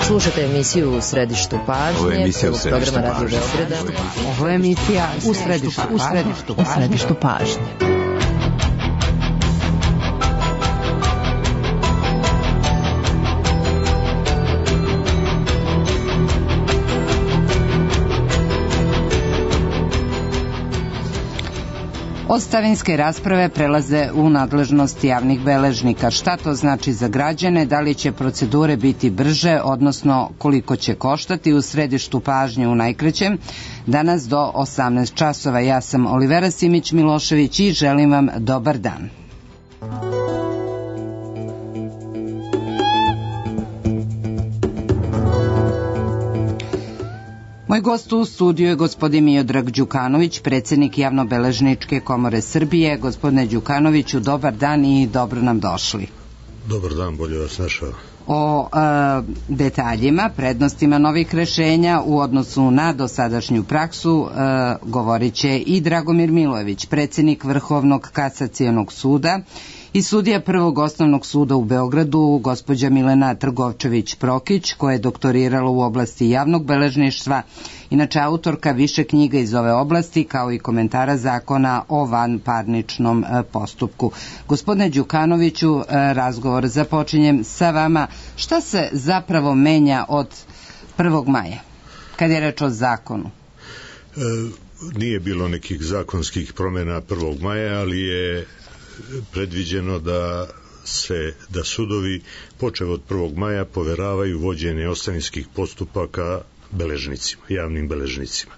Slušajte emisiju U središtu pažnje, prvog programa Radio Beograda. Ovo je emisija U središtu pažnje. Ostavinske rasprave prelaze u nadležnost javnih beležnika. Šta to znači za građane? Da li će procedure biti brže, odnosno koliko će koštati? U središtu pažnje u najkraćem. Danas do 18 časova. Ja sam Olivera Simić-Milošević i želim vam dobar dan. Moj gost u studiju je gospodin Miodrag Đukanović, predsjednik Javnobeležničke komore Srbije. Gospodine Đukanoviću, dobar dan i dobro nam došli. Dobar dan, bolje vas našao. O detaljima, prednostima novih rešenja u odnosu na dosadašnju praksu govorit će i Dragomir Milojević, predsjednik Vrhovnog kasacionog suda, i sudija Prvog osnovnog suda u Beogradu, gospođa Milena Trgovčević-Prokić, koja je doktorirala u oblasti javnog beležništva, inače autorka više knjiga iz ove oblasti, kao i komentara zakona o vanparničnom postupku. Gospodine Đukanoviću, razgovor započinjem sa vama. Šta se zapravo menja od 1. maja, kad je reč o zakonu? Nije bilo nekih zakonskih promjena 1. maja, ali je predviđeno da sudovi počev od 1. maja poveravaju vođenje ostavinskih postupaka beležnicima, javnim beležnicima.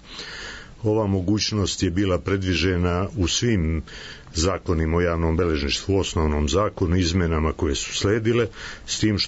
Ova mogućnost je bila predviđena u svim zakonima o javnom beležništvu, u osnovnom zakonu, izmenama koje su sledile, s tim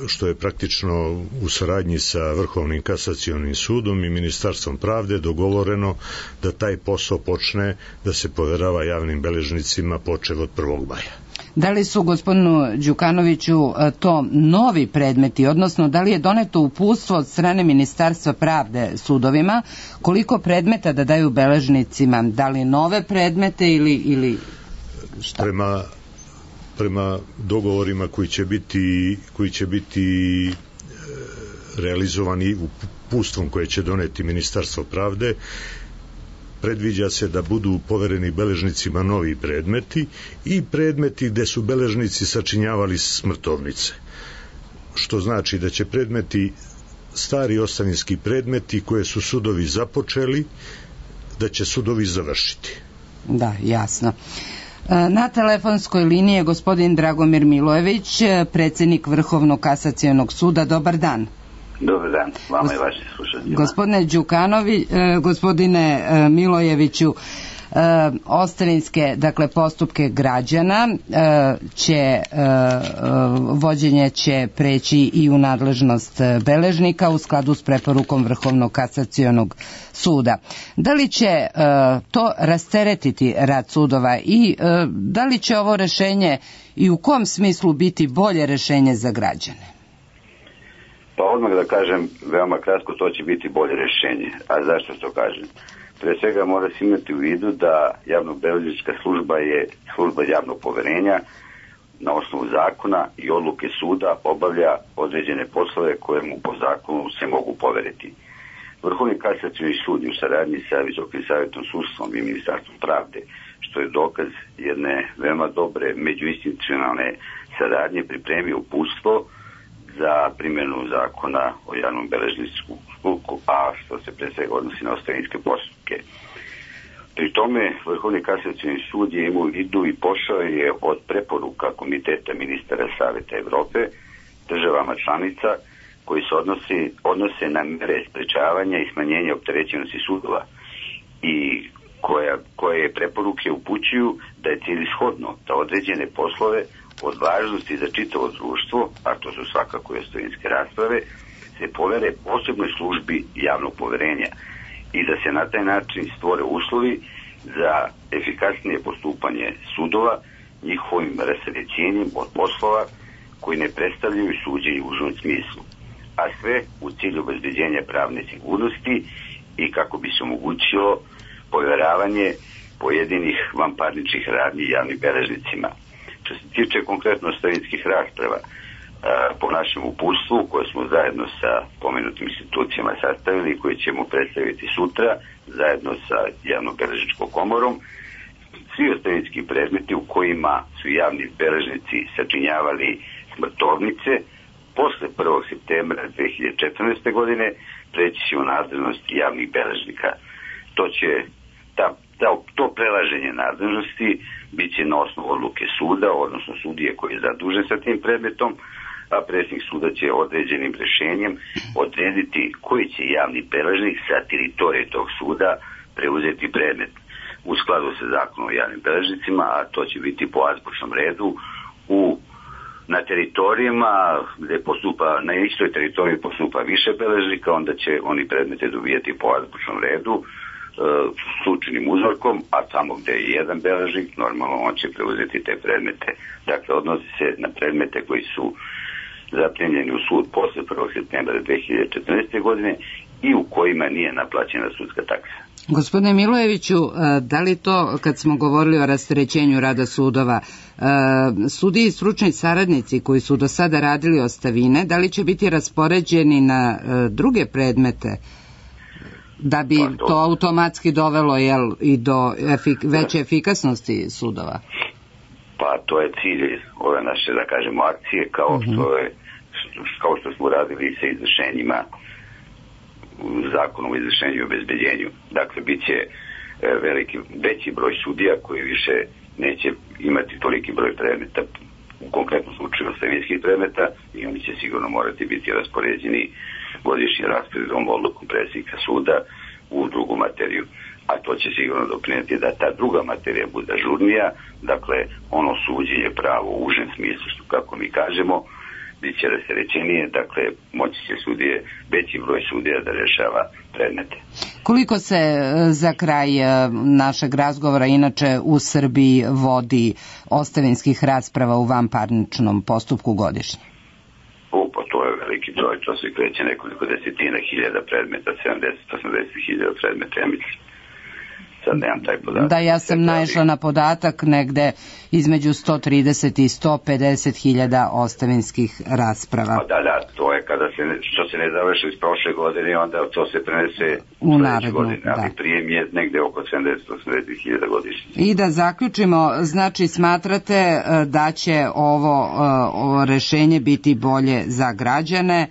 što je praktično u saradnji sa Vrhovnim kasacionim sudom i Ministarstvom pravde dogovoreno da taj posao počne da se poverava javnim beležnicima počev od 1. maja. Da li su, gospodinu Đukanoviću, to novi predmeti, odnosno da li je doneto uputstvo od strane Ministarstva pravde sudovima, koliko predmeta da daju beležnicima, da li nove predmete ili šta? Prema dogovorima koji će biti realizovani uputstvom koje će doneti Ministarstvo pravde, predviđa se da budu povereni beležnicima novi predmeti i predmeti gde su beležnici sačinjavali smrtovnice. Što znači da će predmeti, stari ostavinski predmeti koje su sudovi započeli, da će sudovi završiti. Da, jasno. Na telefonskoj liniji je gospodin Dragomir Milojević, predsjednik Vrhovnog kasacionog suda. Dobar dan. Dobar dan, vama i vašim slušateljima. Gospodine Milojeviću, ostavinske, postupke građana vođenje će preći i u nadležnost beležnika u skladu s preporukom Vrhovnog kasacionog suda. Da li će to rasteretiti rad sudova i da li će ovo rešenje i u kom smislu biti bolje rešenje za građane? Pa odmah da kažem, veoma kratko, to će biti bolje rešenje. A zašto to kažem? Pre svega mora se imati u vidu da javnobeležnička služba je služba javnog poverenja, na osnovu zakona i odluke suda obavlja određene poslove koje mu po zakonu se mogu poveriti. Vrhovni kasacioni sud u saradnji sa Visokim savjetom sudstvom i Ministarstvom pravde, što je dokaz jedne veoma dobre međuinstitucionalne saradnje, pripremio uputstvo za primjenu zakona o javnom beležničkom postupku, a što se pre svega odnosi na ostavinske postupke. Pri tome Vrhovni kasacioni sud je imao u vidu i pošao je od preporuka Komiteta ministara Saveta Evrope državama članica koji se odnose na mere sprečavanja i smanjenja opterećenosti sudova i koje preporuke upućuju da je celishodno da određene poslove od važnosti za čitavo društvo, a to su svakako i ostavinske rasprave, se povere posebnoj službi javnog poverenja i da se na taj način stvore uslovi za efikasnije postupanje sudova njihovim rasterećenjem od poslova koji ne predstavljaju suđenje u užem smislu, a sve u cilju obezbeđenja pravne sigurnosti i kako bi se omogućilo poveravanje pojedinih vanparničnih radnji javnim beležnicima. Što se tiče konkretno ostavinskih rasprava, po našem uputstvu koje smo zajedno sa pomenutim institucijama sastavili i koje ćemo predstaviti sutra zajedno sa javno-beležničkom komorom, svi ostavinski predmeti u kojima su javni beležnici sačinjavali smrtovnice posle 1. septembra 2014. godine preći će u nadležnost javnih beležnika. To prelaženje nadležnosti bit će na osnovu odluke suda, odnosno sudije koji je zadužen sa tim predmetom, a predsjednik suda će određenim rješenjem odrediti koji će javni beležnik sa teritorije tog suda preuzeti predmet u skladu sa zakonom o javnim beležnicima, a to će biti po azbučnom redu na teritorijama gde postupa, na istoj teritoriji postupa više beležnika, onda će oni predmete dobijati po azbučnom redu slučajnim uzorkom, a tamo gde je jedan beležnik, normalno on će preuzeti te predmete. Dakle, odnosi se na predmete koji su zaprimljeni u sud posle 1. septembra 2014. godine i u kojima nije naplaćena sudska taksa. Gospodine Milojeviću, da li to, kad smo govorili o rasterećenju rada sudova, sudiji i stručni saradnici koji su do sada radili ostavine, da li će biti raspoređeni na druge predmete, da bi to automatski dovelo i do veće efikasnosti sudova? Pa to je cilj ove naše, da kažemo, akcije, kao što smo radili sa izvršenjima zakonom o izvršenju i obezbeđenju. Dakle, bit će veći broj sudija koji više neće imati toliki broj predmeta, u konkretnom slučaju ostavinskih predmeta, i oni će sigurno morati biti raspoređeni godišnji rasporedom odlukom predsjednika suda u drugu materiju. A to će sigurno doprinijeti da ta druga materija bude ažurnija, dakle ono suđenje pravo u užem smislu, što kako mi kažemo, bit će rasterećenije, dakle moći će veći broj sudija da rešava predmete. Koliko se za kraj našeg razgovora inače u Srbiji vodi ostavinskih rasprava u vanparničnom postupku godišnje? Pa to je veliki broj, to se kreće nekoliko desetina hiljada predmeta, 70-80 hiljada predmeta, ja mislim. Sad nemam taj podatak. Da, ja sam naišla na podatak negde između 130 i 150 hiljada ostavinskih rasprava. Pa da, to je kada što se ne završi iz prošle godine, onda to se prenese u narednu godine, ali prijem je negde oko 70-80 hiljada godišnje. I da zaključimo, znači smatrate da će ovo rešenje biti bolje za građane?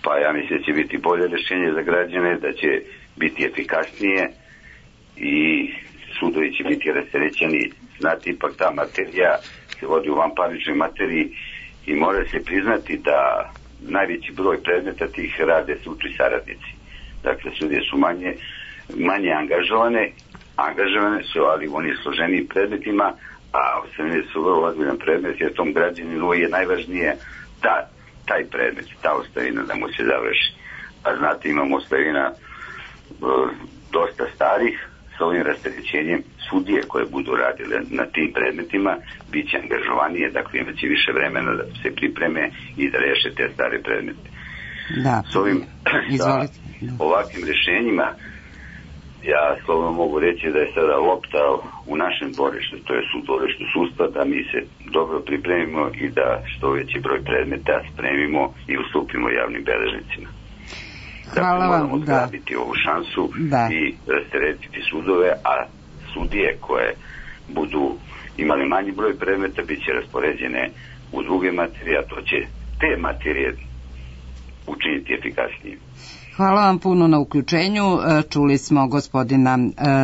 Pa ja mislim da će biti bolje rešenje za građane, da će biti efikasnije i sudovi će biti rasterećeni. Znate, ipak ta materija se vodi u vanparničnoj materiji i mora se priznati da najveći broj predmeta tih rade stručni saradnici. Dakle, sudije su manje angažovane su, ali oni složeniji predmetima, a ostavine su vrlo ozbiljan predmet, jer tom građaninu je najvažnije taj predmet, ta ostavina da mu se završi. A znate, imamo ostavina dosta starih, sa ovim rasterećenjem sudije koje budu radile na tim predmetima bit će angažovanije, dakle imat će više vremena da se pripreme i da reše te stare predmete. Da, sa ovakvim rešenjima ja slobodno mogu reći da je sada lopta u našem dvorištu, to je u dvorištu sudstva, da mi se dobro pripremimo i da što veći broj predmeta spremimo i ustupimo javnim beležnicima. Hvala vam, moramo zgrabiti ovu šansu i rasteretiti sudove, a sudije koje budu imali manji broj predmeta bit će raspoređene u druge materije, a to će te materije učiniti efikasnije. Hvala vam puno na uključenju. Čuli smo gospodina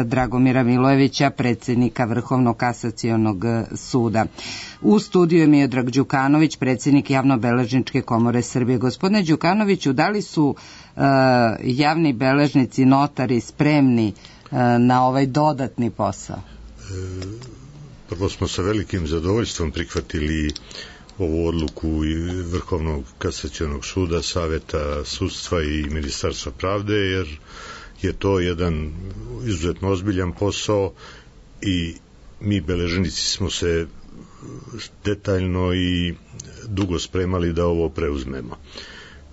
Dragomira Milojevića, predsjednika Vrhovnog kasacionog suda. U studiju je Miodrag Đukanović, predsjednik Javno-beležničke komore Srbije. Gospodine Đukanoviću, da li su javni beležnici, notari spremni na ovaj dodatni posao? Prvo smo sa velikim zadovoljstvom prihvatili ovu odluku i Vrhovnog kasacionog suda, Saveta sudstva i Ministarstva pravde, jer je to jedan izuzetno ozbiljan posao i mi beležnici smo se detaljno i dugo spremali da ovo preuzmemo.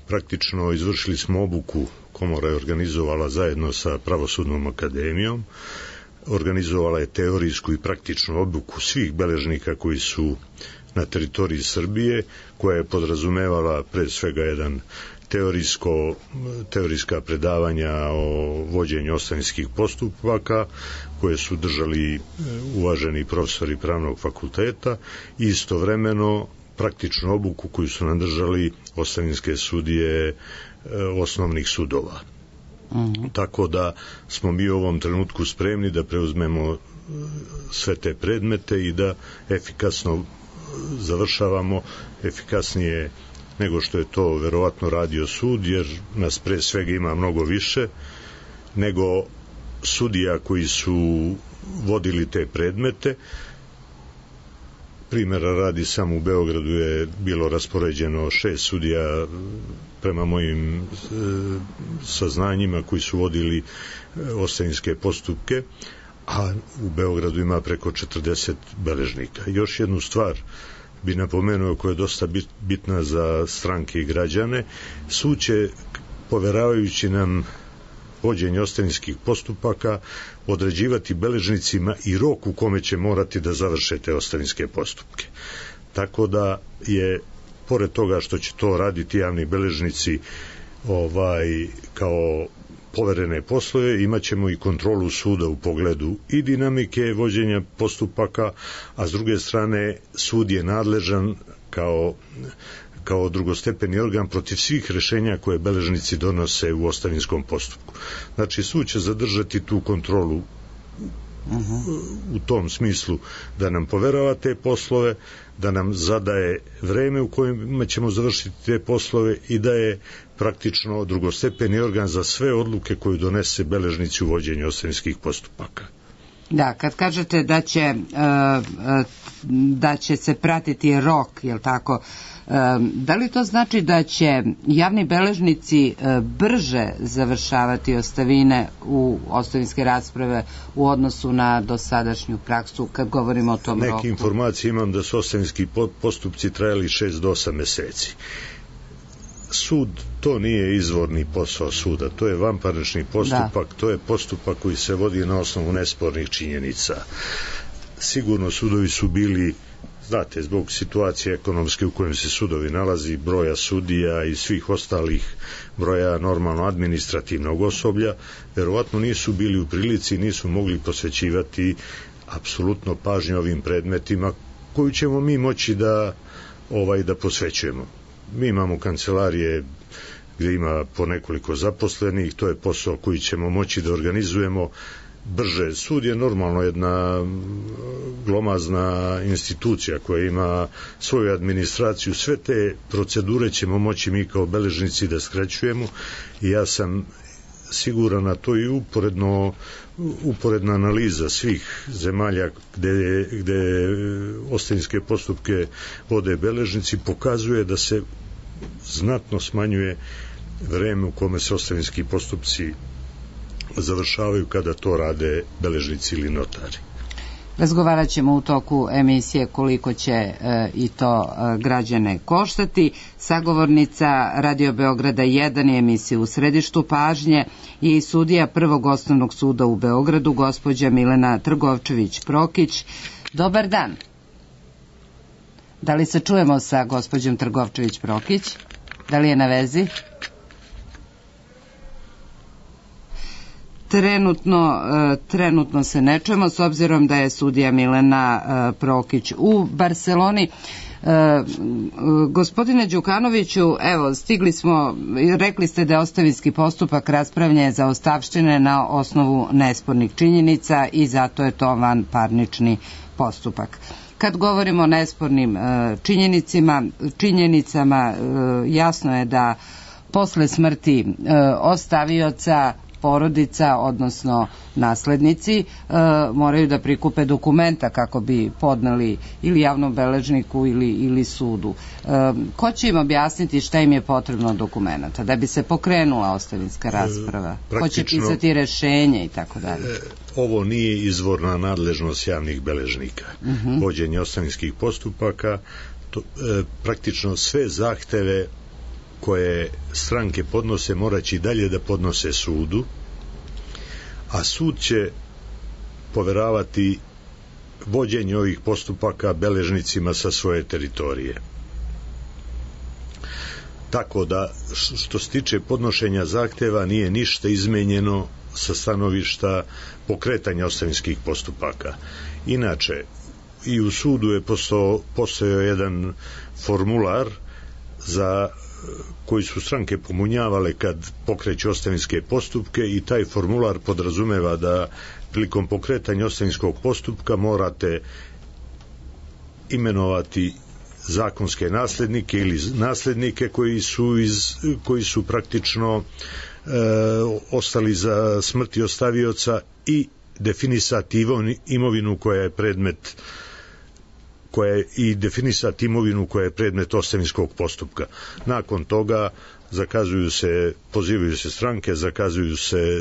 Praktično izvršili smo obuku, komora je organizovala zajedno sa Pravosudnom akademijom, organizovala je teorijsku i praktičnu obuku svih beležnika koji su na teritoriji Srbije, koja je podrazumevala pre svega jedan teorijska predavanja o vođenju ostavinskih postupaka koje su držali uvaženi profesori pravnog fakulteta i istovremeno praktičnu obuku koju su nam držali ostavinske sudije osnovnih sudova. Tako da smo mi u ovom trenutku spremni da preuzmemo sve te predmete i da efikasno završavamo, efikasnije nego što je to verovatno radio sud, jer nas pre svega ima mnogo više nego sudija koji su vodili te predmete. Primjera radi, samo u Beogradu je bilo raspoređeno 6 sudija prema mojim saznanjima koji su vodili ostavinske postupke, a u Beogradu ima preko 40 beležnika. Još jednu stvar bi napomenuo koja je dosta bitna za stranke i građane. Sud će, poveravajući nam vođenje ostavinskih postupaka, određivati beležnicima i rok u kome će morati da završe te ostavinske postupke. Tako da je, pored toga što će to raditi javni beležnici kao poverene poslove, imat ćemo i kontrolu suda u pogledu i dinamike vođenja postupaka, a s druge strane sud je nadležan kao drugostepeni organ protiv svih rešenja koje beležnici donose u ostavinskom postupku. Znači, sud će zadržati tu kontrolu u tom smislu da nam poverava te poslove, da nam zadaje vreme u kojem ćemo završiti te poslove i da je praktično drugostepeni organ za sve odluke koje donese beležnici u vođenju ostavinskih postupaka. Da, kad kažete da će se pratiti rok, jel tako, da li to znači da će javni beležnici brže završavati ostavine u ostavinske rasprave u odnosu na dosadašnju praksu, kad govorimo o tom roku? Neke informacije imam da su ostavinski postupci trajali 6 do 8 meseci. Sud, to nije izvorni posao suda, to je vanparnični postupak, to je postupak koji se vodi na osnovu nespornih činjenica. Sigurno sudovi su bili, znate, zbog situacije ekonomske u kojem se sudovi nalazi, broja sudija i svih ostalih broja normalno administrativnog osoblja, verovatno nisu bili u prilici, nisu mogli posvećivati apsolutno pažnju ovim predmetima koju ćemo mi moći da posvećujemo. Mi imamo kancelarije gdje ima po nekoliko zaposlenih, to je posao koji ćemo moći da organizujemo brže. Sud je normalno jedna glomazna institucija koja ima svoju administraciju, sve te procedure ćemo moći mi kao beležnici da skraćujemo i ja sam siguran na to i uporedna analiza svih zemalja gde ostavinske postupke vode beležnici pokazuje da se znatno smanjuje vreme u kome se ostavinski postupci završavaju kada to rade beležnici ili notari. Razgovarat ćemo u toku emisije koliko će i to građane koštati. Sagovornica Radio Beograda 1 je emisija U središtu pažnje i sudija Prvog osnovnog suda u Beogradu, gospođa Milena Trgovčević-Prokić. Dobar dan. Da li se čujemo sa gospođom Trgovčević-Prokić? Da li je na vezi? Trenutno se ne čujemo, s obzirom da je sudija Milena Prokić u Barseloni. Gospodine Đukanoviću, evo, stigli smo, rekli ste da je ostavinski postupak raspravljanja za ostavštine na osnovu nespornih činjenica i zato je to vanparnični postupak. Kad govorimo o nespornim činjenicama, jasno je da posle smrti ostavioca porodica, odnosno naslednici, moraju da prikupe dokumenta kako bi podneli ili javnom beležniku ili sudu. Ko će im objasniti šta im je potrebno od dokumenta da bi se pokrenula ostavinska rasprava? Ko će pisati rešenje i tako dalje? Ovo nije izvorna nadležnost javnih beležnika. Vođenje ostavinskih postupaka, praktično sve zahteve koje stranke podnose moraće i dalje da podnose sudu, a sud će poveravati vođenje ovih postupaka beležnicima sa svoje teritorije. Tako da, što se tiče podnošenja zahteva, nije ništa izmenjeno sa stanovišta pokretanja ostavinskih postupaka. Inače, i u sudu je postojao jedan formular za koji su stranke pomunjavale kad pokreću ostavinske postupke, i taj formular podrazumeva da prilikom pokretanja ostavinskog postupka morate imenovati zakonske naslednike ili naslednike koji su praktično ostali za smrti ostavioca, i definisati imovinu koja je predmet ostavinskog postupka. Nakon toga pozivaju se stranke,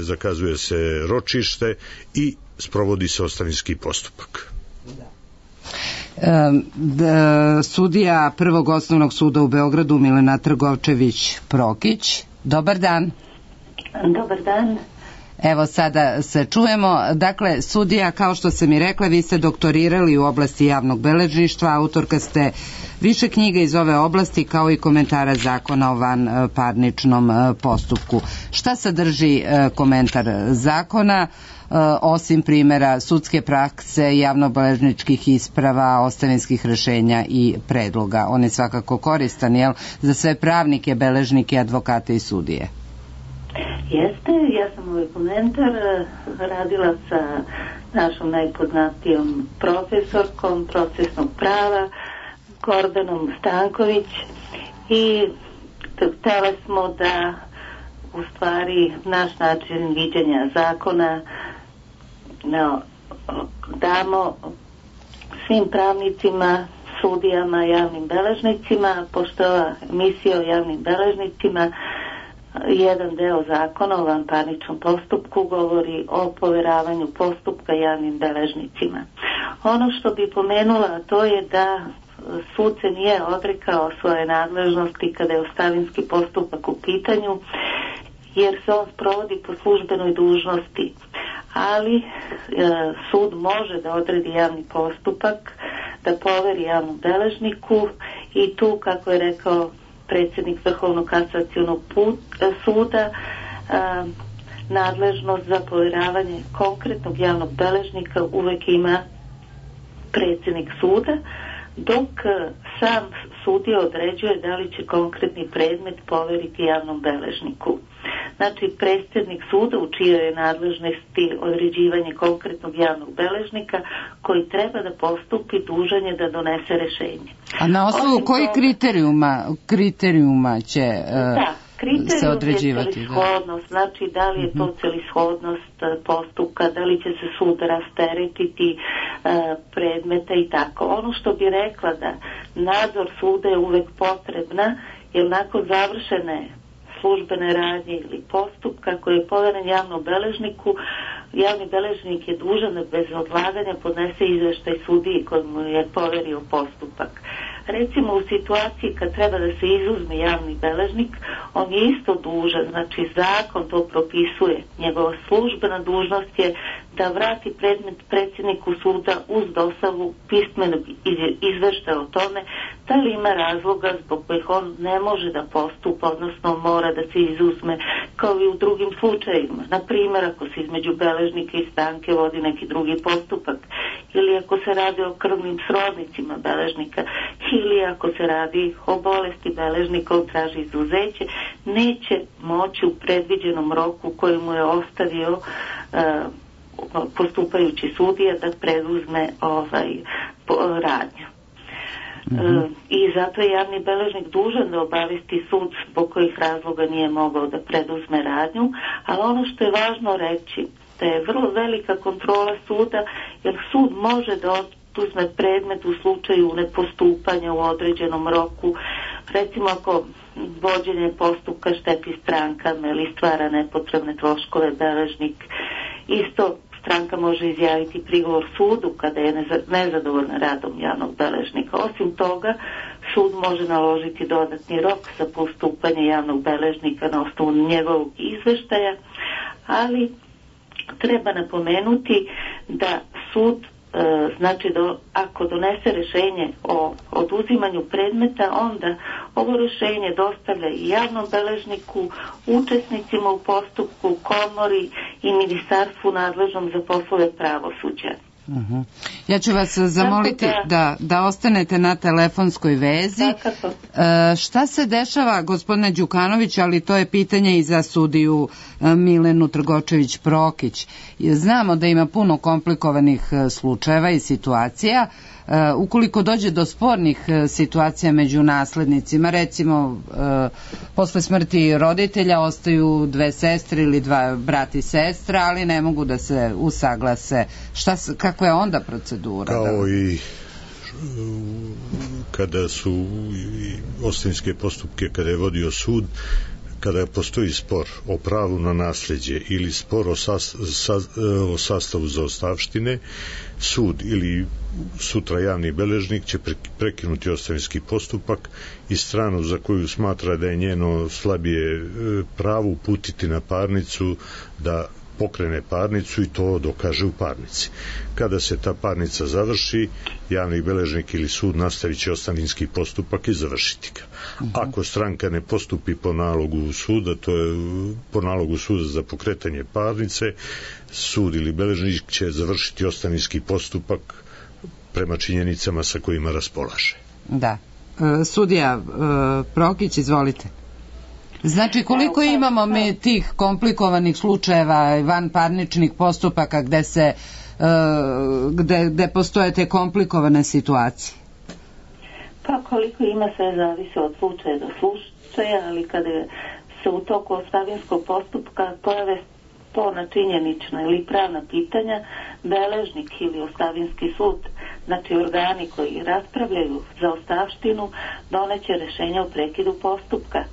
zakazuje se ročište i sprovodi se ostavinski postupak. Sudija Prvog osnovnog suda u Beogradu Milena Trgovčević-Prokić. Dobar dan. Dobar dan. Evo sada se čujemo. Dakle, sudija, kao što sam i rekla, vi ste doktorirali u oblasti javnog beležništva, autorka ste više knjiga iz ove oblasti, kao i komentara zakona o vanparničnom postupku. Šta sadrži komentar zakona, osim primjera sudske prakse, javnobeležničkih isprava, ostavinskih rešenja i predloga? On je svakako koristan, jel, za sve pravnike, beležnike, advokate i sudije? Jeste, ja sam ovaj komentar radila sa našom najpoznatijom profesorkom procesnog prava, Gordanom Stanković, i htjeli smo da u stvari naš način viđenja zakona damo svim pravnicima, sudijama, javnim beležnicima, pošto je ova emisija o javnim beležnicima, jedan deo zakona o vanparničnom postupku govori o poveravanju postupka javnim beležnicima. Ono što bi pomenula, to je da sud se nije odrekao svoje nadležnosti kada je ostavinski postupak u pitanju, jer se on sprovodi po službenoj dužnosti, ali sud može da odredi javni postupak, da poveri javnom beležniku, i tu, kako je rekao predsjednik Vrhovnog kasacionog suda, nadležnost za poveravanje konkretnog javnog beležnika uvek ima predsjednik suda, dok sam sudija određuje da li će konkretni predmet poveriti javnom beležniku. Znači, predsjednik suda u čijoj je nadležnosti određivanje konkretnog javnog beležnika koji treba da postupi, dužan je da donese rešenje. A na osnovu kojih kriterijuma će se određivati? Celishodnost, znači da li je to celishodnost postupka, da li će se sud rasteretiti predmeta i tako. Ono što bi rekla, da nadzor suda je uvek potrebna, jer nakon završene službene radnje ili postupka koji je poveren javnom beležniku, javni beležnik je dužan da bez odlaganja podnese izveštaj sudiji kojemu je poverio postupak. Recimo, u situaciji kad treba da se izuzme javni beležnik, on je isto dužan, znači zakon to propisuje. Njegova službena dužnost je da vrati predmet predsjedniku suda uz dostavu pismenog izveštaja o tome da li ima razloga zbog kojih on ne može da postupa, odnosno mora da se izuzme, kao i u drugim slučajevima. Na primjer, ako se između beležnika i stranke vodi neki drugi postupak, ili ako se radi o krvnim srodnicima beležnika, ili ako se radi o bolesti beležnika, on traži izuzeće, neće moći u predviđenom roku koji mu je ostavio postupajući sudija da preduzme radnju. I zato je javni beležnik dužan da obavesti sud zbog kojih razloga nije mogao da preduzme radnju, ali ono što je važno reći, da je vrlo velika kontrola suda, jer sud može da oduzme predmet u slučaju nepostupanja u određenom roku. Recimo, ako vođenje postupka šteti strankama ili stvara nepotrebne troškove beležnik, isto stranka može izjaviti prigovor sudu kada je nezadovoljna radom javnog beležnika. Osim toga, sud može naložiti dodatni rok za postupanje javnog beležnika na osnovu njegovog izveštaja, ali treba napomenuti da sud znači ako donese rešenje o oduzimanju predmeta, onda ovo rešenje dostavlja i javnom beležniku, učesnicima u postupku, komori i ministarstvu nadležnom za poslove pravosuđa. Ja ću vas zamoliti da ostanete na telefonskoj vezi. Šta se dešava, gospodine Đukanović, ali to je pitanje i za sudiju Milenu Trgočević-Prokić. Znamo da ima puno komplikovanih slučajeva i situacija. Ukoliko dođe do spornih situacija među naslednicima, recimo posle smrti roditelja ostaju dve sestre ili dva brata i sestra, ali ne mogu da se usaglase. Kakva je onda procedura? Kao i kada su ostavinske postupke, kada je vodio sud, kada postoji spor o pravu na nasleđe ili spor o sastavu zaostavštine, sud ili sutra javni beležnik će prekinuti ostavinski postupak i stranu za koju smatra da je njeno slabije pravo uputiti na parnicu da pokrene parnicu i to dokaže u parnici. Kada se ta parnica završi, javni beležnik ili sud nastavit će ostavinski postupak i završiti ga. Ako stranka ne postupi po nalogu suda, to je po nalogu suda za pokretanje parnice, sud ili beležnik će završiti ostavinski postupak prema činjenicama sa kojima raspolaže. Da. Sudija Prokić, izvolite. Znači, koliko imamo mi tih komplikovanih slučajeva, vanparničnih postupaka gde postoje te komplikovane situacije? Pa koliko ima, sve zavisi od slučaja do slučaja, ali kada se u toku ostavinskog postupka pojave sporna činjenična ili pravna pitanja, beležnik ili ostavinski sud, znači organi koji raspravljaju za ostavštinu, doneće rešenje o prekidu postupka.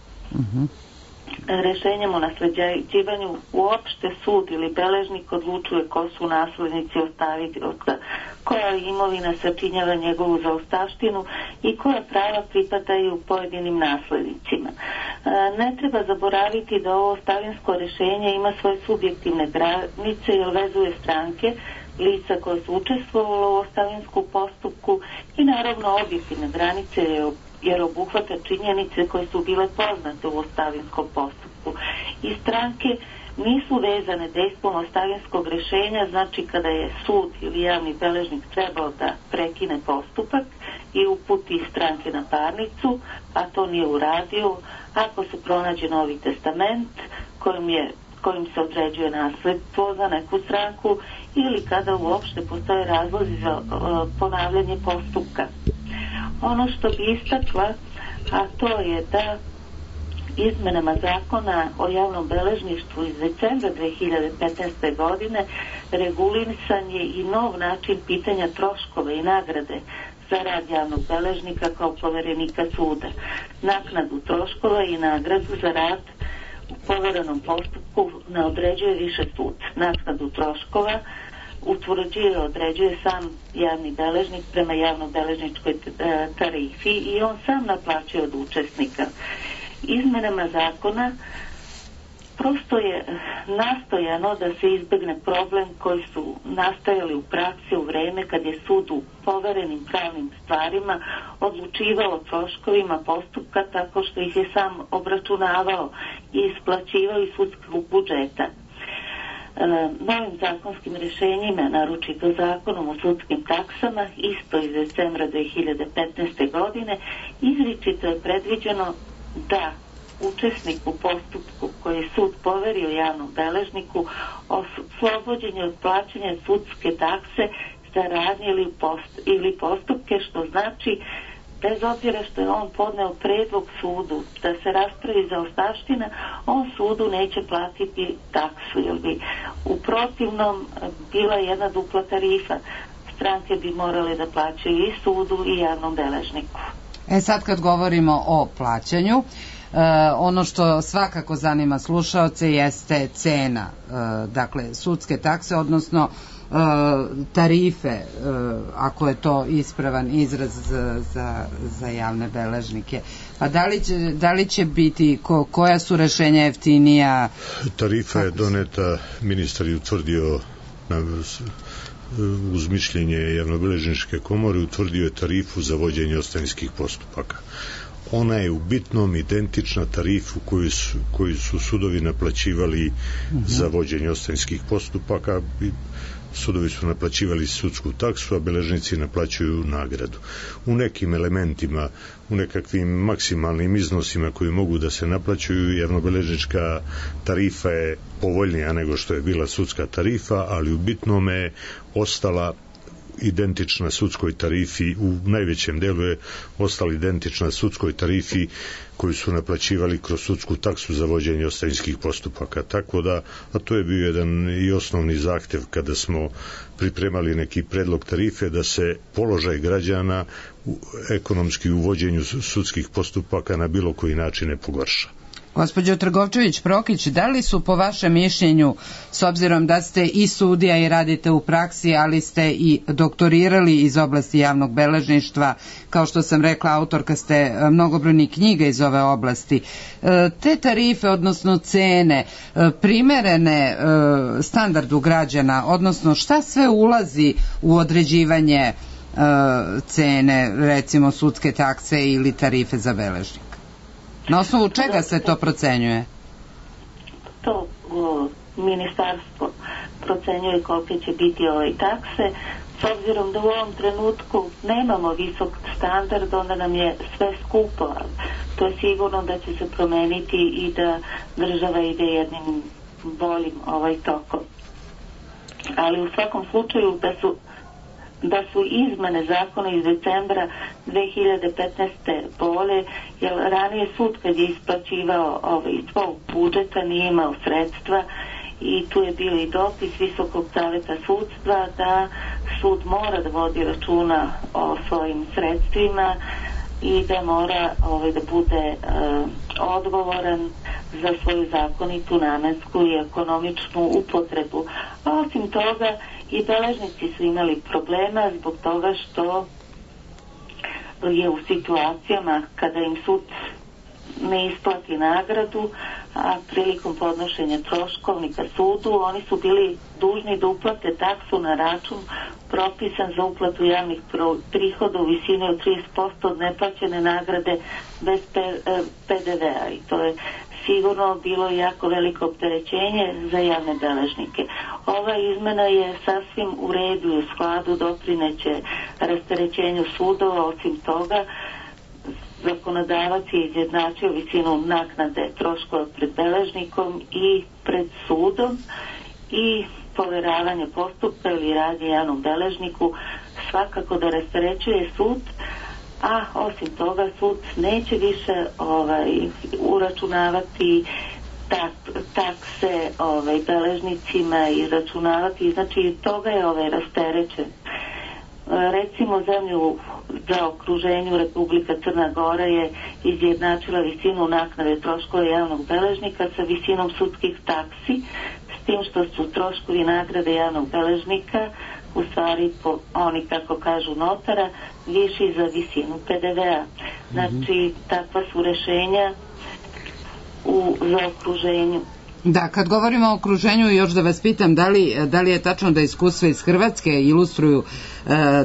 Rešenjem o nasleđivanju uopšte sud ili beležnik odlučuje ko su naslednici ostavioca, koja imovina sačinjava njegovu zaostavštinu i koja prava pripadaju pojedinim naslednicima. Ne treba zaboraviti da ovo ostavinsko rešenje ima svoje subjektivne granice i vezuje stranke, lica koje su učestvovalo u ostavinskom postupku i naravno objektivne granice jer obuhvata činjenice koje su bile poznate u ostavinskom postupku. I stranke nisu vezane dejstvom ostavinskog rešenja, znači kada je sud ili javni beležnik trebao da prekine postupak i uputi stranke na parnicu, a to nije uradio, ako se pronađe novi testament kojim se određuje nasledstvo za neku stranku ili kada uopšte postoje razlozi za ponavljanje postupka. Ono što bi istakla, a to je da izmenama zakona o javnom beležništvu iz decembra 2015. godine regulisan je i nov način pitanja troškova i nagrade za rad javnog beležnika kao poverenika suda. Naknadu troškova i nagradu za rad u poverenom postupku ne određuje više sud. Naknadu troškova utvrđuje, određuje sam javni beležnik prema javno-beležničkoj tarifi i on sam naplaćuje od učesnika. Izmenama zakona prosto je nastojano da se izbegne problem koji su nastajali u praksi u vreme kad je sud u poverenim pravnim stvarima odlučivao o troškovima postupka tako što ih je sam obračunavao i isplaćivao iz sudskog budžeta. Novim zakonskim rešenjima, naročito zakonom o sudskim taksama, isto iz decembra 2015. godine, izričito je predviđeno da učesnik u postupku koji je sud poverio javnom beležniku oslobođenje od plaćanja sudske takse za radnje ili postupke, što znači bez obzira što je on podneo predlog sudu da se raspravi zaostavština, on sudu neće platiti taksu, jer bi u protivnom bila jedna dupla tarifa. Stranke bi morale da plaćaju i sudu i javnom beležniku. Sad kad govorimo o plaćanju, ono što svakako zanima slušaoce jeste cena, dakle sudske takse, odnosno tarife, ako je to ispravan izraz za javne beležnike. Pa da li će biti, koja su rešenja jeftinija? Tarifa je doneta, ministar je utvrdio uz mišljenje javnobeležničke komore utvrdio je tarifu za vođenje ostavinskih postupaka. Ona je u bitnom identična tarifu koju su sudovi naplaćivali za vođenje ostavinskih postupaka. Sudovi su naplaćivali sudsku taksu, a beležnici naplaćuju nagradu. U nekim elementima, u nekakvim maksimalnim iznosima koji mogu da se naplaćuju, javnobeležnička tarifa je povoljnija nego što je bila sudska tarifa, ali u bitnome je ostala identična sudskoj tarifi, u najvećem delu je ostala identična sudskoj tarifi koju su naplaćivali kroz sudsku taksu za vođenje ostavinskih postupaka. Tako da, a to je bio jedan i osnovni zahtev kada smo pripremali neki predlog tarife, da se položaj građana ekonomski u vođenju sudskih postupaka na bilo koji način ne pogorša. Gospođo Trgovčević-Prokić, da li su po vašem mišljenju, s obzirom da ste i sudija i radite u praksi, ali ste i doktorirali iz oblasti javnog beležništva, kao što sam rekla, autorka ste mnogobrojnih knjiga iz ove oblasti, te tarife, odnosno cene, primerene standardu građana, odnosno šta sve ulazi u određivanje cene, recimo sudske takse ili tarife za beležnika? Na osnovu čega se to procenjuje? To ministarstvo procenjuje kolike će biti takse. S obzirom da u ovom trenutku nemamo visok standard, onda nam je sve skupo. To je sigurno da će se promeniti i da država ide jednim boljim tokom. Ali u svakom slučaju da su izmene zakona iz decembra 2015. bolje, jer ranije sud kad je isplaćivao iz svog budžeta nije imao sredstva i tu je bio i dopis Visokog saveta sudstva da sud mora da vodi računa o svojim sredstvima i da mora da bude odgovoran za svoju zakonitu, namensku i ekonomičnu upotrebu. A osim toga i beležnici su imali problema zbog toga što je u situacijama kada im sud ne isplati nagradu, a prilikom podnošenja troškovnika sudu, oni su bili dužni da uplate taksu na račun propisan za uplatu javnih prihoda u visini od 30% od neplaćene nagrade bez PDV-a i to je sigurno bilo jako veliko opterećenje za javne beležnike. Ova izmena je sasvim u redu i u skladu, doprineće rasterećenju sudova. Osim toga, zakonodavac je izjednačio visinu naknade troškova pred beležnikom i pred sudom i poveravanje postupka ili radnje javnom beležniku svakako da rasterećuje sud, a osim toga sud neće više uračunavati takse beležnicima i računavati, znači toga je rasterećen. Recimo zemlju za okruženju Republika Crna Gora je izjednačila visinu naknade troškova javnog beležnika sa visinom sudskih taksi, s tim što su troškovi nagrade javnog beležnika u stvari oni kako kažu notara viši za visinu PDV-a. Znači takva su rešenja za okruženju. Da, kad govorimo o okruženju, još da vas pitam, da li je tačno da iskustva iz Hrvatske ilustruju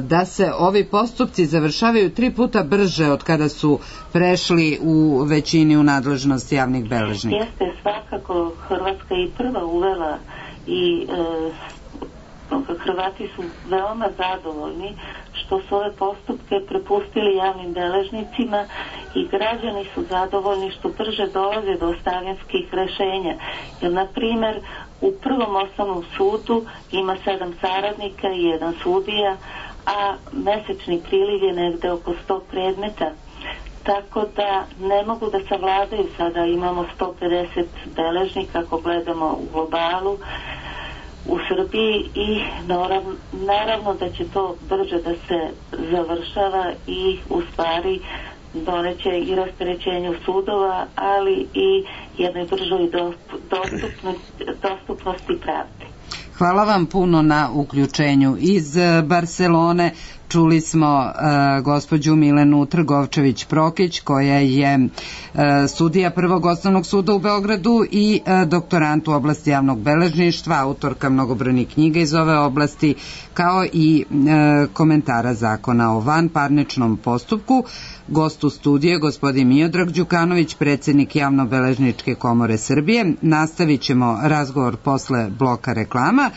da se ovi postupci završavaju 3 puta brže od kada su prešli u većini u nadležnost javnih beležnika? Jeste, svakako Hrvatska i prva uvela i Hrvati su veoma zadovoljni što su ove postupke prepustili javnim beležnicima i građani su zadovoljni što brže dolaze do ostavinskih rešenja. Jer, na primer, u Prvom osnovnom sudu ima 7 saradnika i 1 sudija, a mesečni priliv je negde oko 100 predmeta. Tako da ne mogu da savladaju, sada imamo 150 beležnika ako gledamo u globalu u Srbiji i naravno da će to brže da se završava i u stvari doneće i rasterećenju sudova, ali i jednoj bržoj dostupnosti pravde. Hvala vam puno na uključenju iz Barcelone. čuli smo gospođu Milenu Trgovčević-Prokić, koja je sudija Prvog osnovnog suda u Beogradu i doktorant u oblasti javnog beležništva, autorka mnogobrojnih knjiga iz ove oblasti, kao i komentara zakona o vanparničnom postupku. Gost u studiju je gospodin Miodrag Đukanović, predsjednik Javnobeležničke komore Srbije. Nastavit ćemo razgovor posle bloka reklama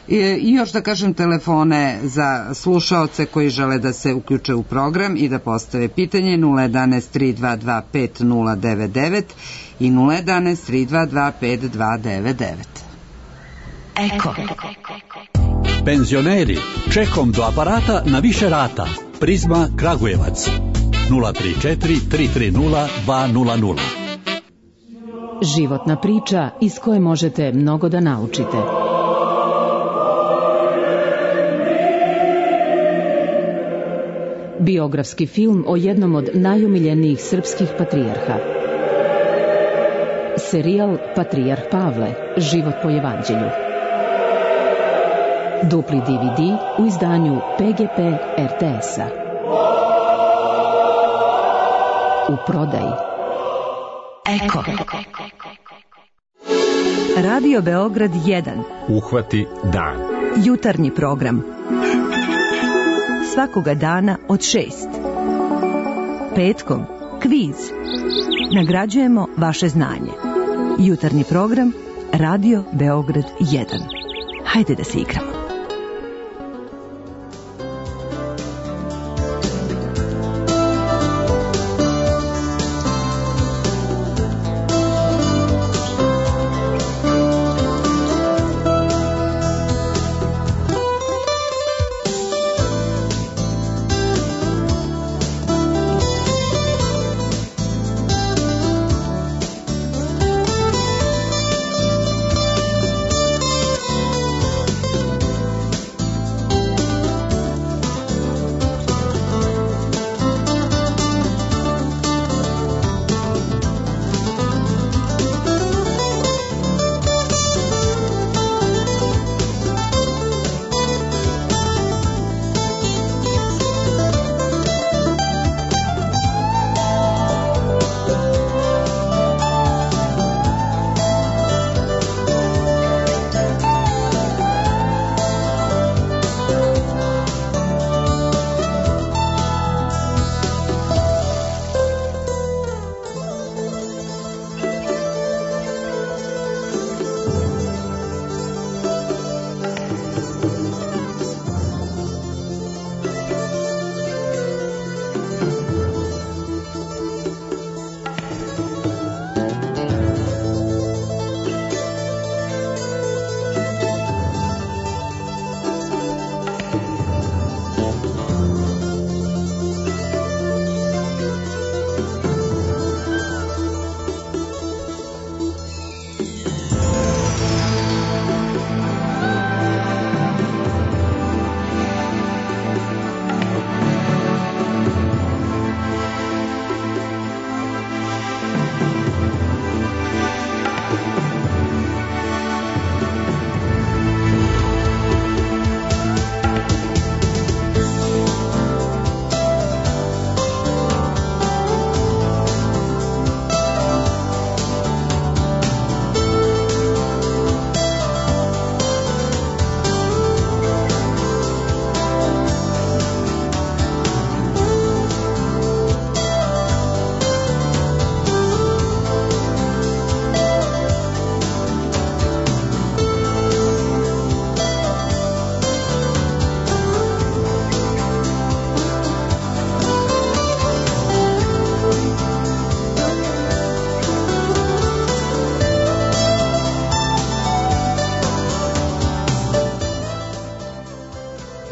i još da kažem telefone za slušaoce koji žele da se uključe u program i da postave pitanje 011 322 5099 i 011 322 5299. Eko. Penzioneri, čekom do aparata na više rata. Prizma Kragujevac 034 330 200. Životna priča iz koje možete mnogo da naučite. Biografski film o jednom od najomiljenijih srpskih patrijarha. Serijal Patrijarh Pavle, život po evanđelju. Dupli DVD u izdanju PGP RTS-a. U prodaji. Eko. Radio Beograd 1. Uhvati dan. Jutarnji program. Svakoga dana od 6. Petkom kviz. Nagrađujemo vaše znanje. Jutarnji program Radio Beograd 1. Hajde da se igramo.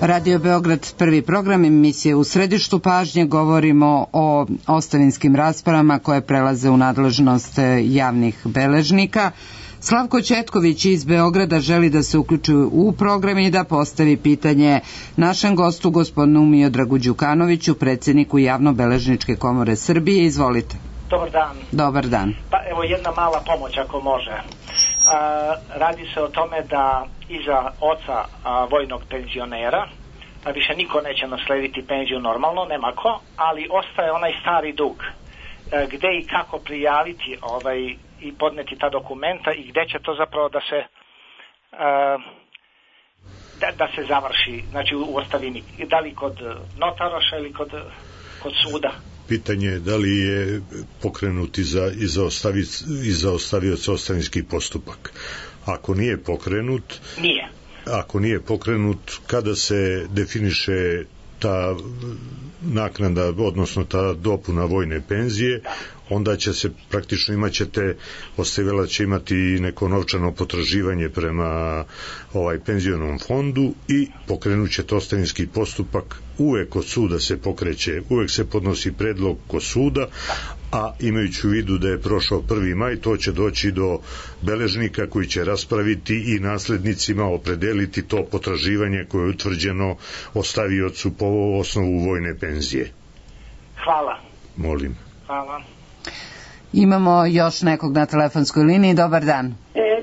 Radio Beograd, prvi program, emisije U središtu pažnje. Govorimo o ostavinskim raspravama koje prelaze u nadležnost javnih beležnika. Slavko Ćetković iz Beograda želi da se uključi u program i da postavi pitanje našem gostu, gospodinu Miodragu Đukanoviću, predsjedniku Javnobeležničke komore Srbije. Izvolite. Dobar dan. Dobar dan. Pa evo jedna mala pomoć ako može. Radi se o tome da iza oca vojnog penzionera više niko neće naslediti penziju normalno, nema ko, ali ostaje onaj stari dug. Gde i kako prijaviti i podneti ta dokumenta i gde će to zapravo da se da se završi, znači u ostavini, da li kod notaraša ili kod suda. Pitanje je da li je pokrenut iza ostavioca ostavinski postupak. Ako nije pokrenut, ako nije pokrenut, kada se definiše ta naknada, odnosno ta dopuna vojne penzije, onda će se praktično ostavila će imati neko novčano potraživanje prema penzionom fondu i pokrenut će to ostavinski postupak. Uvek kod suda se pokreće, uvek se podnosi predlog kod suda, a imajući u vidu da je prošao 1. maj, to će doći do beležnika koji će raspraviti i naslednicima opredeliti to potraživanje koje je utvrđeno ostaviocu po osnovu vojne penzije. Hvala. Molim. Hvala. Imamo još nekog na telefonskoj liniji. Dobar dan.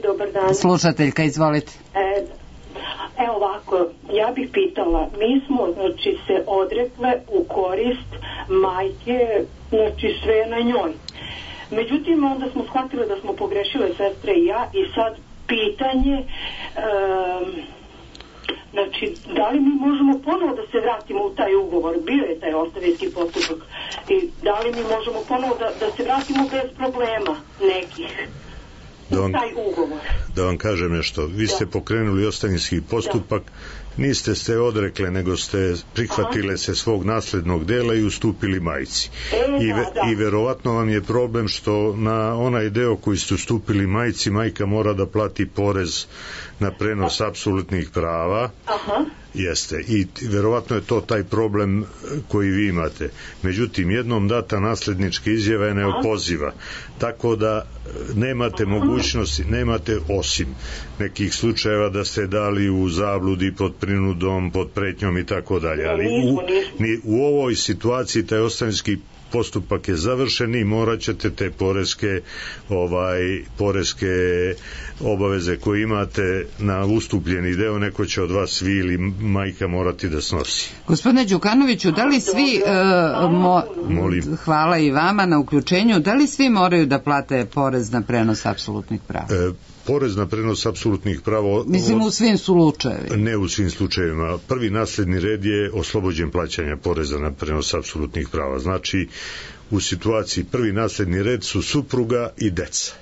Dobar dan. Slušateljka, izvolite. Evo ovako, ja bih pitala, mi smo se odrekle u korist majke, sve na njoj. Međutim, onda smo shvatile da smo pogrešile, sestre i ja, i sad pitanje, da li mi možemo ponovo da se vratimo u taj ugovor? Bio je taj ostavinski postupak. I da li mi možemo ponovo da se vratimo bez problema nekih? Taj ugovor. Da vam kažem nešto, vi ste pokrenuli ostavinski postupak, niste se odrekle, nego ste prihvatile se svog naslednog dela i ustupili majci. I verovatno vam je problem što na onaj deo koji ste ustupili majci, majka mora da plati porez na prenos apsolutnih prava. Jeste, i verovatno je to taj problem koji vi imate. Međutim, jednom data naslednička izjava je neopoziva, tako da nemate mogućnosti, nemate osim nekih slučajeva da ste dali u zabludi, pod prinudom, pod pretnjom i tako dalje, ali u ovoj situaciji taj ostavinski postupak je završen i morat ćete te poreske obaveze koje imate na ustupljeni deo, neko će od vas, vi ili majka, morati da snosi. Gospodine Đukanoviću, da li svi hvala i vama na uključenju, da li svi moraju da plate porez na prenos apsolutnih prava? Porez na prenos apsolutnih prava... Mislim, u svim slučajevima. Ne u svim slučajevima. Prvi nasledni red je oslobođen plaćanja poreza na prenos apsolutnih prava. Znači, u situaciji prvi nasledni red su supruga i deca.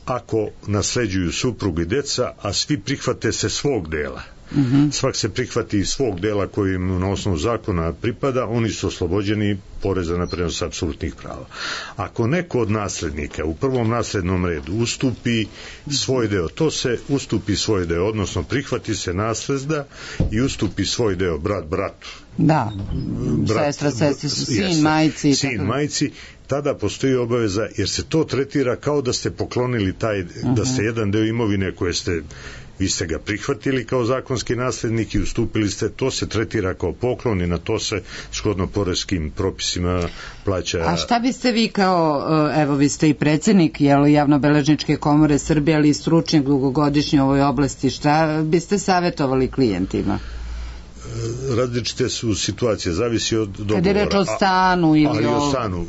Ako nasleđuju suprugu i deca, a svi prihvate se svog dela, svak se prihvati iz svog dela koji im na osnovu zakona pripada, oni su oslobođeni poreza na prenos apsolutnih prava. Ako neko od naslednika u prvom naslednom redu ustupi svoj deo, to se ustupi svoj deo, odnosno prihvati se nasleda i ustupi svoj deo brat bratu. Da, sestra, sestri su sin, majci. Sin, majci, tada postoji obaveza, jer se to tretira kao da ste poklonili da ste jedan deo imovine koje vi ste ga prihvatili kao zakonski naslednik i ustupili ste, to se tretira kao poklon i na to se shodno poreskim propisima plaća. A šta biste vi kao, evo vi ste i predsjednik Javnobeležničke komore Srbije, ali i stručnjak dugogodišnji u ovoj oblasti, šta biste savjetovali klijentima? Različite su situacije, zavisi od dogovora. Kad je reč o stanu ili o stanu,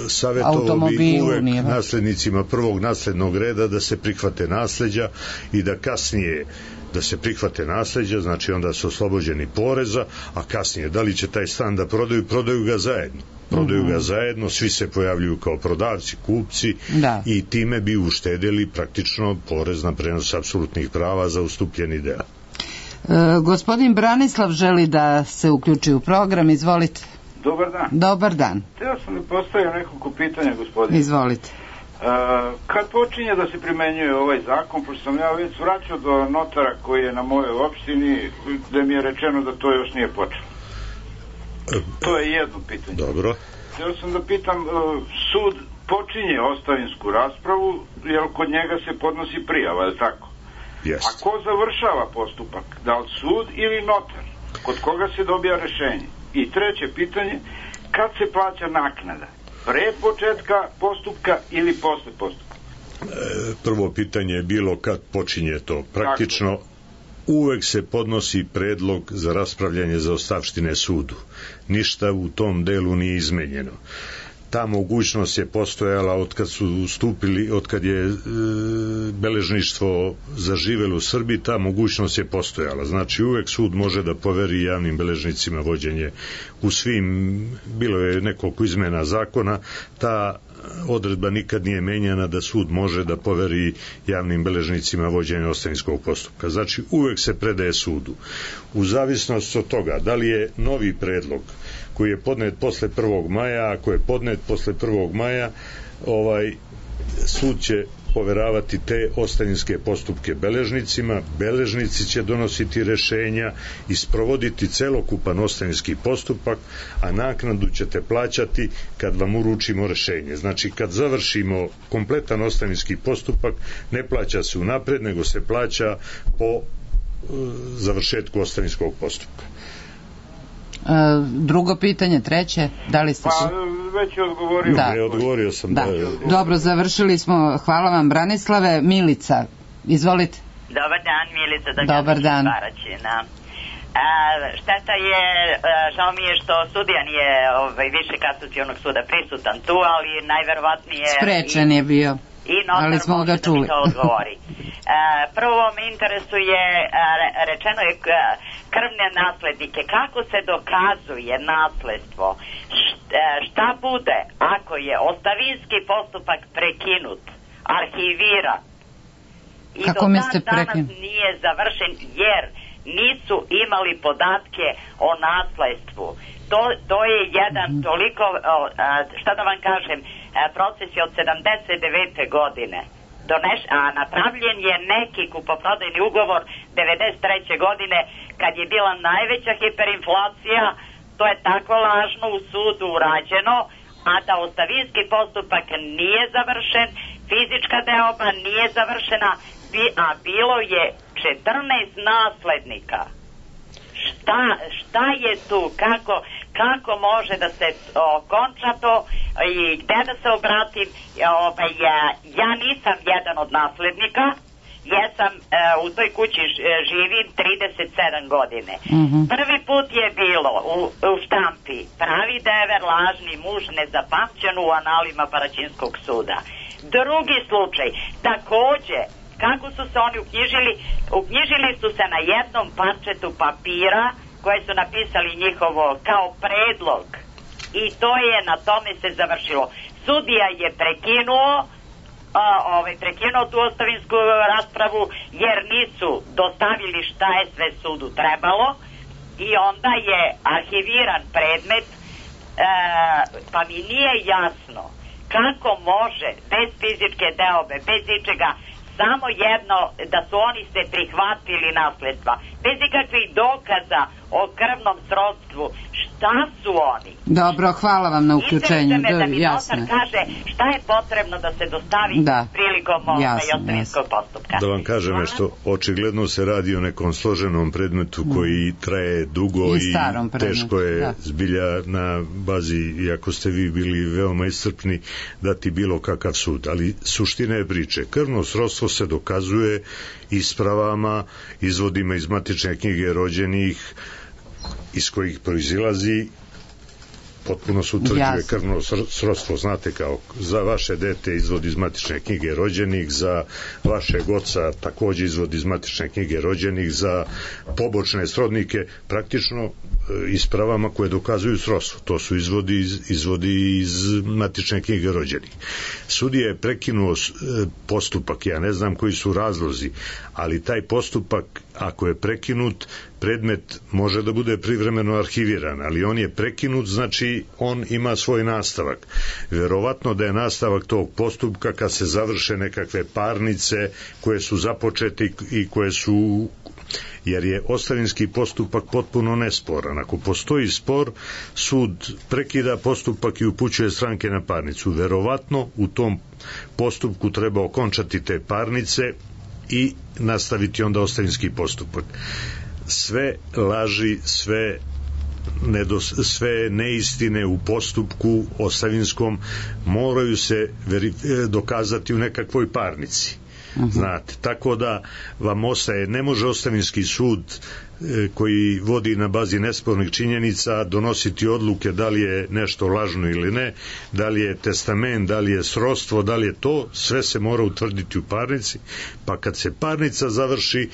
savjetovao bi uvek naslednicima prvog naslednog reda da se prihvate nasleđa i da kasnije da se prihvate nasleđa, znači onda su oslobođeni poreza, a kasnije da li će taj stan da prodaju ga zajedno. Prodaju ga zajedno, svi se pojavljuju kao prodavci, kupci i time bi uštedili praktično porez na prenos apsolutnih prava za ustupljeni deo. Gospodin Branislav želi da se uključi u program, izvolite. Dobar dan. Dobar dan. Htio sam da postavim nekoliko pitanja, gospodine. Izvolite. Kad počinje da se primenjuje ovaj zakon, pošto sam ja već vraćao do notara koji je na mojoj opštini, gde mi je rečeno da to još nije počelo. To je jedno pitanje. Dobro. Htio sam da pitam, sud počinje ostavinsku raspravu, jer kod njega se podnosi prijava, je li tako? A ko završava postupak? Da li sud ili notar? Kod koga se dobija rešenje? I treće pitanje, kad se plaća naknada? Pre početka postupka ili posle postupka? Prvo pitanje je bilo kad počinje to. Praktično uvek se podnosi predlog za raspravljanje zaostavštine sudu. Ništa u tom delu nije izmenjeno. Ta mogućnost je postojala od kad je beležništvo zaživelo u Srbiji, ta mogućnost je postojala. Znači uvek sud može da poveri javnim beležnicima vođenje u svim, bilo je nekoliko izmena zakona, ta odredba nikad nije menjana da sud može da poveri javnim beležnicima vođenje ostavinskog postupka. Znači uvek se predaje sudu. U zavisnosti od toga da li je novi predlog koji je podnet posle 1. maja, ako je podnet posle 1. maja, sud će poveravati te ostavinske postupke beležnicima, beležnici će donositi rešenja i sprovoditi celokupan ostavinski postupak, a naknadu ćete plaćati kad vam uručimo rešenje. Znači, kad završimo kompletan ostavinski postupak, ne plaća se unapred, nego se plaća po završetku ostavinskog postupka. Drugo pitanje, treće, da li ste... Pa, već je odgovorio. Da. Odgovorio sam. Da. Dobro, završili smo. Hvala vam, Branislave. Milica, izvolite. Dobar dan, Milica. Dobar dan. Šteta je, žao mi je što sudija nije više kasacionog suda prisutan tu, ali najverovatnije... Sprečen je bio. I notar može da mi to odgovori. Prvo me interesuje, rečeno je krvne naslednike. Kako se dokazuje nasledstvo? Šta bude ako je ostavinski postupak prekinut, arhiviran i do danas nije završen jer nisu imali podatke o nasledstvu? To je jedan toliko, šta da vam kažem, proces je od 79. godine. A napravljen je neki kupoprodajni ugovor 93. godine kad je bila najveća hiperinflacija. To je tako lažno u sudu urađeno, a da ostavinski postupak nije završen, fizička deoba nije završena, a bilo je 14 naslednika. Šta je tu? Kako može da se okonča to i gde da se obratim? Ja nisam jedan od naslednika, jesam u toj kući živim 37 godine. Prvi put je bilo u štampi pravi dever, lažni muž, nezapamćen u analima Paraćinskog suda. Drugi slučaj, takođe, kako su se oni uknjižili? Uknjižili su se na jednom parčetu papira koje su napisali njihovo kao predlog i to je, na tome se završilo. Sudija je prekinuo tu ostavinsku raspravu jer nisu dostavili šta je sve sudu trebalo i onda je arhiviran predmet, pa mi nije jasno kako može bez fizičke deobe, bez ičega, samo jedno da su oni se prihvatili nasledstva, bez ikakvih dokaza o krvnom srodstvu. Šta su oni? Dobro, hvala vam na uključenju. Da mi notar kaže šta je potrebno da se dostavi prilikom ostavinskog postupka. Da vam kažem nešto, očigledno se radi o nekom složenom predmetu koji traje dugo i teško je zbilja na bazi, iako ste vi bili veoma iscrpni, dati bilo kakav sud. Ali suština je priče. Krvno srodstvo se dokazuje ispravama, izvodima iz matične knjige rođenih, iz kojih proizilazi, potpuno se utvrđuje krvno srodstvo, znate, kao za vaše dete izvod iz matične knjige rođenih, za vašeg oca takođe izvod iz matične knjige rođenih, za pobočne srodnike, praktično ispravama koje dokazuju srodstvo. To su izvodi iz matične knjige rođenih. Sudija je prekinuo postupak, ja ne znam koji su razlozi, ali taj postupak, ako je prekinut, predmet može da bude privremeno arhiviran, ali on je prekinut, znači on ima svoj nastavak. Verovatno da je nastavak tog postupka kad se završe nekakve parnice koje su započete i koje su, jer je ostavinski postupak potpuno nesporan. Ako postoji spor, sud prekida postupak i upućuje stranke na parnicu. Verovatno u tom postupku treba okončati te parnice i nastaviti onda ostavinski postupak. Sve laži, sve neistine u postupku ostavinskom moraju se dokazati u nekakvoj parnici. Znate, tako da vam ostaje, ne može ostavinski sud koji vodi na bazi nespornih činjenica donositi odluke da li je nešto lažno ili ne, da li je testament, da li je srodstvo, da li je to, sve se mora utvrditi u parnici, pa kad se parnica završi,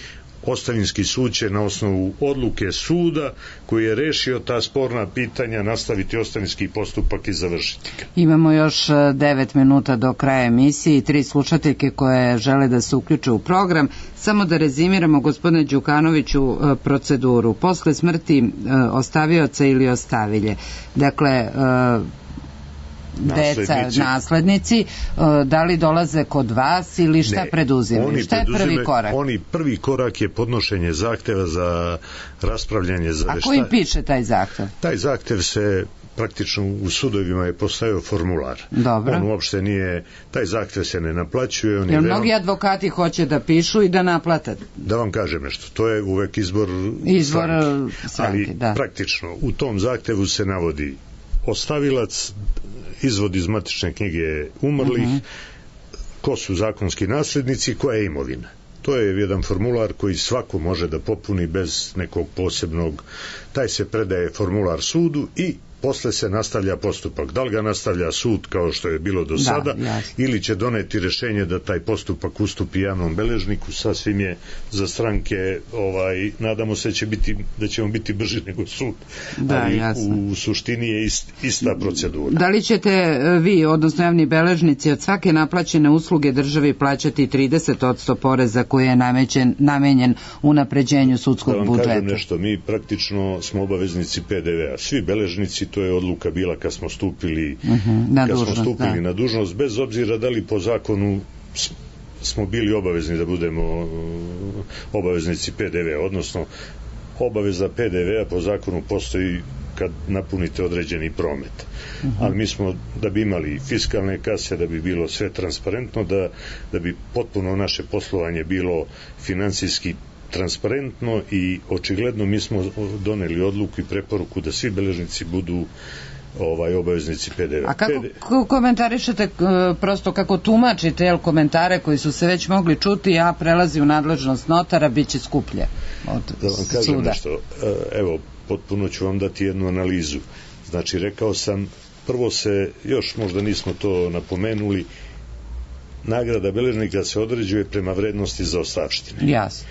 ostavinski sud će na osnovu odluke suda koji je rešio ta sporna pitanja nastaviti ostavinski postupak i završiti ga. Imamo još 9 minuta do kraja emisije i 3 slušateljke koje žele da se uključe u program. Samo da rezimiramo, gospodine Đukanoviću, proceduru. Posle smrti ostavioca ili ostavilje, dakle deca, naslednici, da li dolaze kod vas ili šta preduzimaju? Šta je prvi korak? Prvi korak je podnošenje zahteva za raspravljanje za veštačenje. A ko im piše taj zahtev? Taj zahtev se praktično u sudovima je postavio formular. Dobro. On uopšte nije, taj zahtev se ne naplaćuje. Jer mnogi advokati hoće da pišu i da naplate. Da vam kažem nešto, to je uvek izbor stranke. Ali praktično u tom zahtevu se navodi ostavilac, izvod iz matične knjige umrlih, ko su zakonski naslednici, koja je imovina. To je jedan formular koji svako može da popuni bez nekog posebnog, taj se predaje formular sudu i posle se nastavlja postupak. Da li ga nastavlja sud kao što je bilo do sada ili će doneti rešenje da taj postupak ustupi javnom beležniku, sasvim je za stranke, nadamo se da ćemo biti brži nego sud, ali u suštini je ista procedura. Da li ćete vi, odnosno javni beležnici, od svake naplaćene usluge državi plaćati 30% poreza koji je namenjen unapređenju sudskog budžeta? Da vam kažem nešto, mi praktično smo obaveznici PDV-a. Svi beležnici, to je odluka bila kad smo stupili na dužnost, bez obzira da li po zakonu smo bili obavezni da budemo obaveznici PDV-a, odnosno obaveza PDV-a po zakonu postoji kad napunite određeni promet. Ali mi smo, da bi imali fiskalne kase, da bi bilo sve transparentno, da bi potpuno naše poslovanje bilo finansijski transparentno i očigledno mi smo doneli odluku i preporuku da svi beležnici budu obaveznici PDV. A kako komentarišete, prosto kako tumačite komentare koji su se već mogli čuti, a prelazi u nadležnost notara, bit će skuplje od suda? Da vam kažem nešto, evo, potpuno ću vam dati jednu analizu. Znači, rekao sam, prvo se, još možda nismo to napomenuli, nagrada beležnika se određuje prema vrednosti zaostavštine. Jasno.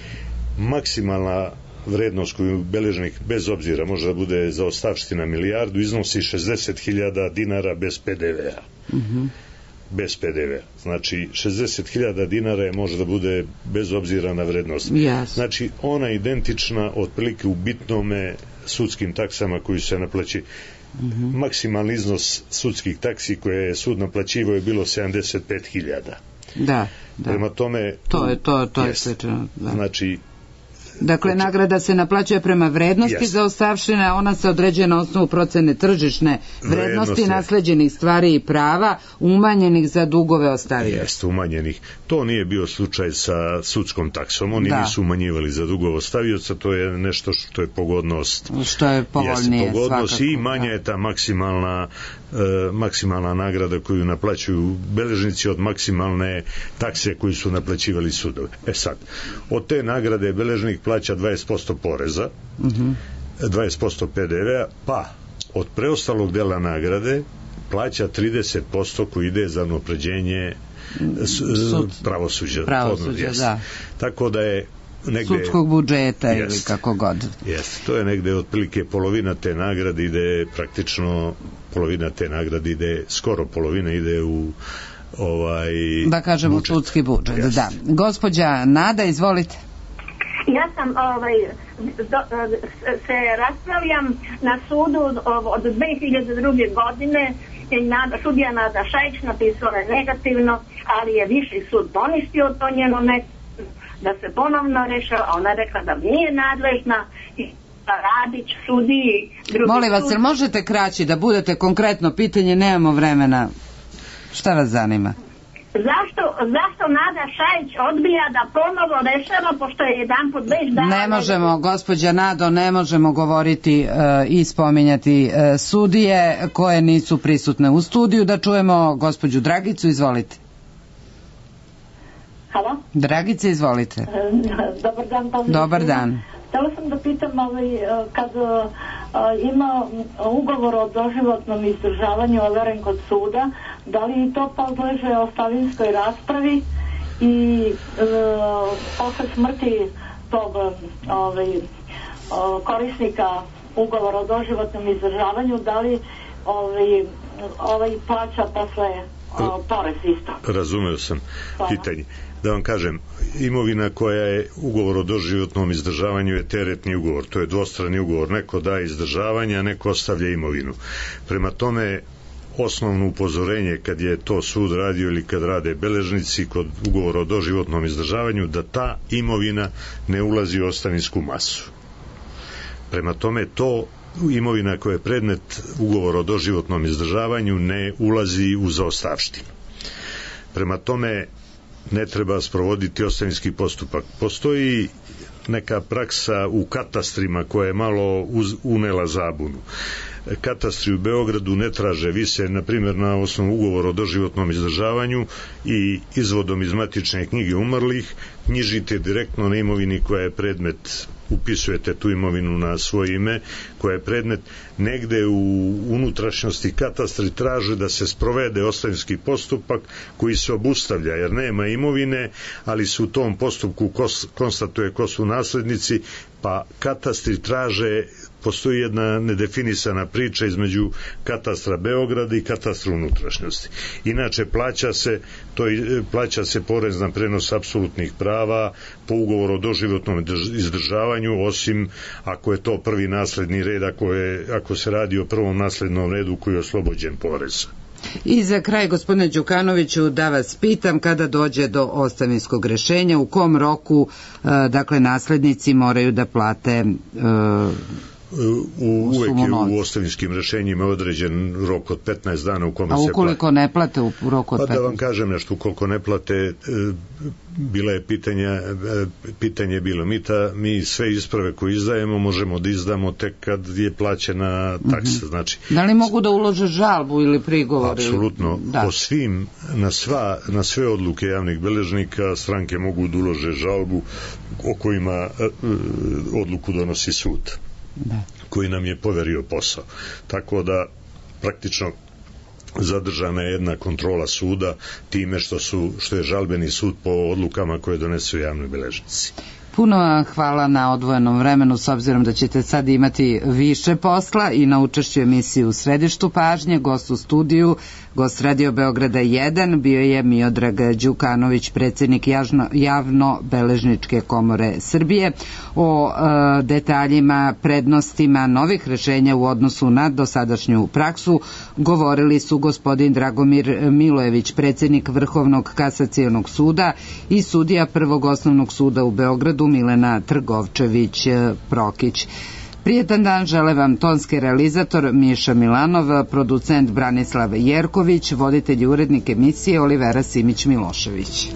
Maksimalna vrednost koju beležnik, bez obzira, može da bude zaostavština milijardu, iznosi 60.000 dinara bez PDV-a. Bez PDV-a. Znači, 60.000 dinara može da bude bez obzira na vrednost. Znači, ona je identična otprilike u bitnome sudskim taksama koji se naplaći. Maksimalni iznos sudskih taksi koje je sud naplaćivao je bilo 75.000. Da. Prema tome... To je svečano. Znači, dakle, nagrada se naplaćuje prema vrednosti zaostavštine, ona se određuje na osnovu procene tržišne vrednosti nasleđenih stvari i prava umanjenih za dugove ostavioca. Jeste, umanjenih. To nije bio slučaj sa sudskom taksom. Oni nisu umanjivali za dugove ostavioca, to je nešto što je pogodnost. Što je povoljnije svakako. I manja je ta maksimalna nagrada koju naplaćuju beležnici od maksimalne takse koju su naplaćivali sudovi. Sad, od te nagrade beležnik plaća 20% poreza, 20% PDV-a, pa od preostalog dela nagrade plaća 30% koji ide za unapređenje pravosuđa. Da. Tako da je sudskog budžeta ili kako god. To je negde otprilike polovina te nagrade ide, praktično polovina te nagrade ide, skoro polovina ide u da kažemo budžet. Sudski budžet. Da. Gospođa Nada, izvolite. Ja sam se raspravljam na sudu od 2002. godine. Sudija Nada Šajić napisala je negativno, ali je viši sud poništio to njeno da se ponovno rešava. Ona rekla da nije nadležna i Radić, sudiji. Molim vas, jel možete kraći da budete konkretno pitanje, nemamo vremena. Šta vas zanima? Zašto Nada Šajić odbija da ponovo rešava, pošto je jedan put već dala... Ne možemo, gospođa Nado, ne možemo govoriti i spominjati sudije koje nisu prisutne u studiju. Da čujemo gospođu Dragicu, izvolite. Halo? Dragice, izvolite. Dobar dan. Dobar dan. Htela sam da pitam, kad ima ugovor o doživotnom izdržavanju overen kod suda, da li to podleže ostavinskoj raspravi i posle smrti tog korisnika ugovora o doživotnom izdržavanju, da li plaća posle porez isto? Razumeo sam pitanje. Da vam kažem, imovina koja je ugovor o doživotnom izdržavanju je teretni ugovor, to je dvostrani ugovor, neko daje izdržavanje, a neko ostavlja imovinu. Prema tome, osnovno upozorenje kad je to sud radio ili kad rade beležnici kod ugovora o doživotnom izdržavanju, da ta imovina ne ulazi u ostavinsku masu. Prema tome, to imovina koja je predmet ugovora o doživotnom izdržavanju ne ulazi u zaostavštinu. Prema tome, ne treba sprovoditi ostavinski postupak. Postoji neka praksa u katastrima koja je malo unela zabunu. Katastri u Beogradu ne traže, vi se, na primjer, na osnovu ugovora o doživotnom izdržavanju i izvodom iz matične knjige umrlih knjižite direktno na imovini koja je predmet, upisujete tu imovinu na svoje ime, koja je predmet. Negde u unutrašnjosti katastri traže da se sprovede ostavinski postupak koji se obustavlja jer nema imovine, ali se u tom postupku konstatuje ko su naslednici, pa katastri traže, postoji jedna nedefinisana priča između katastra Beograda i katastra unutrašnjosti. Inače, plaća se porez na prenos apsolutnih prava po ugovoru o doživotnom izdržavanju, osim ako je to prvi nasledni red, ako se radi o prvom naslednom redu koji je oslobođen poreza. I za kraj, gospodine Đukanoviću, da vas pitam, kada dođe do ostavinskog rešenja, u kom roku, dakle, naslednici moraju da plate uvek je u ostavinskim rešenjima određen rok od 15 dana u kome se plate. A ukoliko ne plate u roku od 15? Pa da vam kažem nešto, ukoliko ne plate, bila je pitanje je bilo mi sve isprave koje izdajemo možemo da izdamo tek kad je plaćena taksa. Znači, da li mogu da ulože žalbu ili prigovor? Apsolutno, po svim, na sve odluke javnih beležnika stranke mogu da ulože žalbu o kojima odluku donosi sud, koji nam je poverio posao. Tako da praktično zadržana je jedna kontrola suda time što je žalbeni sud po odlukama koje donesu javni beležnici. Puno vam hvala na odvojenom vremenu, s obzirom da ćete sad imati više posla i na učešću emisiju u središtu pažnje. Gost u studiju, gost Radio Beograda 1, bio je Miodrag Đukanović, predsjednik Javno-beležničke komore Srbije. O detaljima, prednostima novih rešenja u odnosu na dosadašnju praksu govorili su gospodin Dragomir Milojević, predsjednik Vrhovnog kasacionog suda, i sudija Prvog osnovnog suda u Beogradu Milena Trgovčević-Prokić. Prijetan dan žele vam tonski realizator Miša Milanov, producent Branislav Jerković, voditelj i urednik emisije Olivera Simić-Milošević.